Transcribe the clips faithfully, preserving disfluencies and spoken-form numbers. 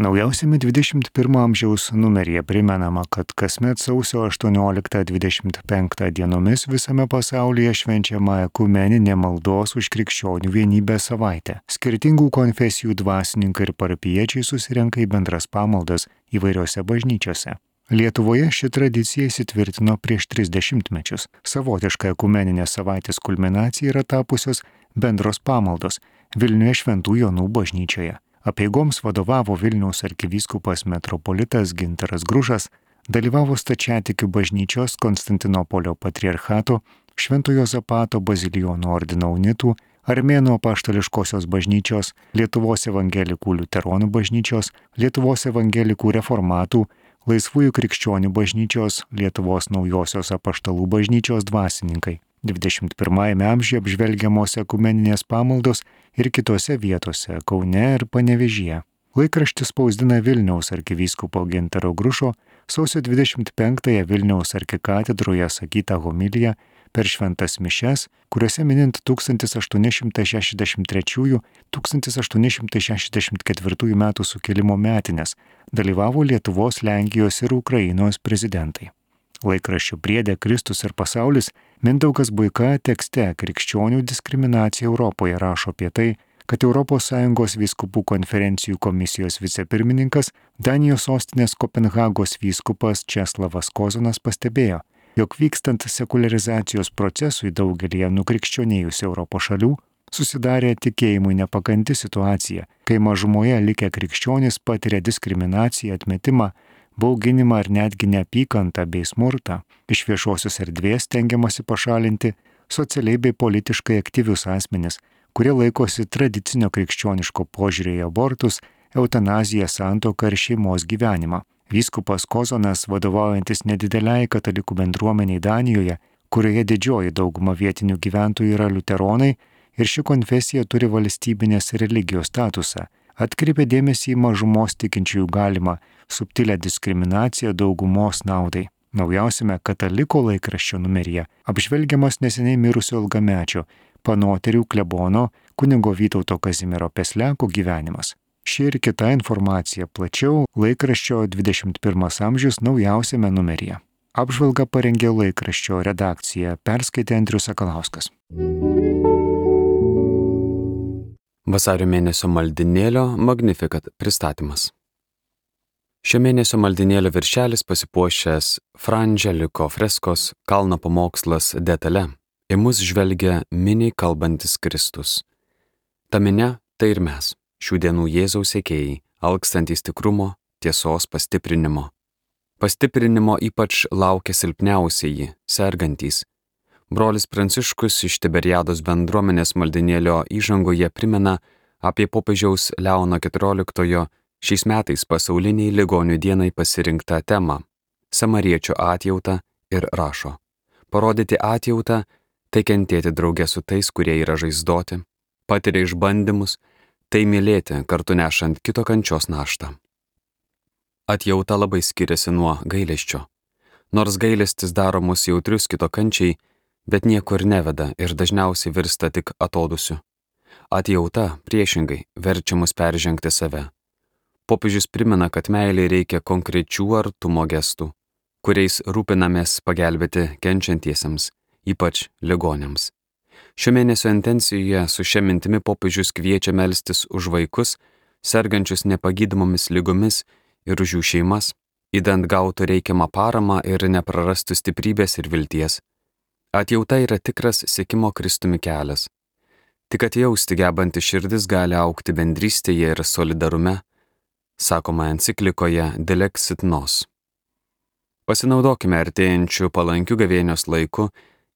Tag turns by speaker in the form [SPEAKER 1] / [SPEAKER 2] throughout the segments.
[SPEAKER 1] Naujausiame dvidešimt pirmo amžiaus numeryje primenama, kad kasmet sausio aštuonioliktą dvidešimt penktą dienomis visame pasaulyje švenčiama ekumeninė maldos už krikščionių vienybę savaitė. Skirtingų konfesijų dvasininkai ir parapijiečiai susirenka į bendras pamaldas įvairiose bažnyčiose. Lietuvoje ši tradicija įsitvirtino prieš tris dešimtmečius. Savotiška ekumeninė savaitės kulminacija yra tapusios bendros pamaldos Vilniuje Šventų Jonų bažnyčioje. Apeigoms vadovavo Vilniaus arkivyskupas metropolitas Gintaras Grušas, dalyvavo Stačiatikių bažnyčios Konstantinopolio patriarchato, Švento Juozapato bazilijonų ordino unitų, Armėnų apaštališkosios bažnyčios, Lietuvos evangelikų liuteronų bažnyčios, Lietuvos evangelikų reformatų, Laisvųjų krikščionių bažnyčios, Lietuvos naujosios apaštalų bažnyčios dvasininkai. dvidešimt pirmajame amžiuje apžvelgiamos ekumeninės pamaldos ir kitose vietose Kaune ir Panevėžyje. Laikraštis spausdina Vilniaus arkivyskupo Gintaro Grušo sausio dvidešimt penktąją Vilniaus arkikatedroje sakytą homiliją per šventas mišias, kuriuose minint tūkstantis aštuoni šimtai šešiasdešimt trečiųjų - tūkstantis aštuoni šimtai šešiasdešimt ketvirtųjų metų sukilimo metines dalyvavo Lietuvos, Lenkijos ir Ukrainos prezidentai. Laikraščių priede Kristus ir pasaulis Mindaugas Buika tekste Krikščionių diskriminacija Europoje rašo apie tai, kad Europos Sąjungos vyskupų konferencijų komisijos vicepirmininkas Danijos sostinės Kopenhagos vyskupas Česlavas Kozonas pastebėjo, jog vykstant sekularizacijos procesui daugelyje nukrikščionėjusių Europos šalių susidarė tikėjimui nepakanti situacija, kai mažumoje likę krikščionys patiria diskriminaciją, atmetimą, bauginimą ar netgi neapykantą bei smurtą, iš viešosios erdvės stengiamasi pašalinti socialiai bei politiškai aktyvius asmenis, kurie laikosi tradicinio krikščioniško požiūrio į abortus, eutanaziją, santuoką ir šeimos gyvenimą. Vyskupas Kozonas, vadovaujantis nedideliai katalikų bendruomeniai Danijoje, kurioje didžioji dauguma vietinių gyventojų yra liuteronai ir ši konfesija turi valstybinės religijos statusą, atkreipė dėmesį į mažumos tikinčiųjų galimą subtilę diskriminaciją daugumos naudai. Naujausiame Kataliko laikraščio numeryje apžvelgiamas neseniai mirusio ilgamečio Panoterių klebono kunigo Vytauto Kazimiero Pesleko gyvenimas. Ši ir kita informacija plačiau laikraščio dvidešimt pirmas amžius naujausiame numeryje. Apžvalgą parengė laikraščio redakcija, perskaitė Andrius Sakalauskas.
[SPEAKER 2] Vasario mėnesio maldinėlio Magnificat pristatymas. Šio mėnesio maldinėlio viršelis pasipuošęs Fra Angeliko freskos Kalno pamokslas detale. Į mus žvelgia miniai kalbantis Kristus. Ta minia tai ir mes, šių dienų Jėzaus sekėjai, alkstantys tikrumo, tiesos pastiprinimo. Pastiprinimo ypač laukia silpniausieji, sergantys. Brolis Pranciškus iš Tiberiados bendruomenės maldinėlio įžangoje primena apie popiežiaus Leono keturioliktojo šiais metais pasauliniai ligonių dienai pasirinktą temą – samariečio atjautą ir rašo. Parodyti atjautą – tai kentėti drauge su tais, kurie yra žaizdoti, patiria išbandymus, tai mylėti kartu nešant kito kančios naštą. Atjauta labai skiriasi nuo gailesčio. Nors gailestis daro mus jautrius kito kančiai, bet niekur neveda ir dažniausiai virsta tik atodusiu. Atjauta, priešingai, verčia mus peržengti save. Popiežius primena, kad meilei reikia konkrečių artumo gestų, kuriais rūpinamės pagelbėti kenčiantiesiems, ypač ligoniams. Šio mėnesio intencijoje su šia mintimi popiežius kviečia melstis už vaikus, sergančius nepagydomomis ligomis ir už jų šeimas, idant gautų reikiamą paramą ir neprarastų stiprybės ir vilties. Atjauta yra tikras sekimo Kristumi kelias. Tik atjausti gebanti širdis gali augti bendrystėje ir solidarume, sakoma enciklikoje Dilexit Nos. Pasinaudokime artėjančių palankių gavėnios laiku,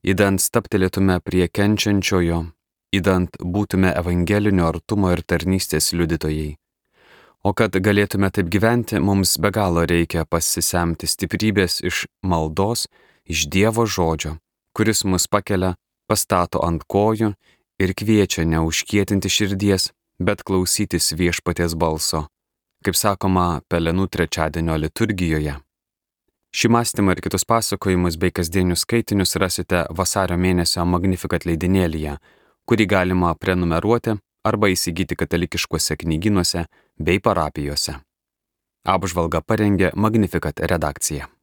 [SPEAKER 2] idant staptelėtume prie kenčiančiojo, idant būtume evangelinio artumo ir tarnystės liudytojai. O kad galėtume taip gyventi, mums be galo reikia pasisemti stiprybės iš maldos, iš Dievo žodžio, kuris mus pakelia, pastato ant kojų ir kviečia neužkietinti širdies, bet klausytis viešpaties balso, kaip sakoma Pelenų trečiadienio liturgijoje. Šį mąstymą ir kitus pasakojimus bei kasdienius skaitinius rasite vasario mėnesio Magnificat leidinėlyje, kurį galima prenumeruoti arba įsigyti katalikiškuose knygynuose bei parapijose. Apžvalgą parengė Magnificat redakcija.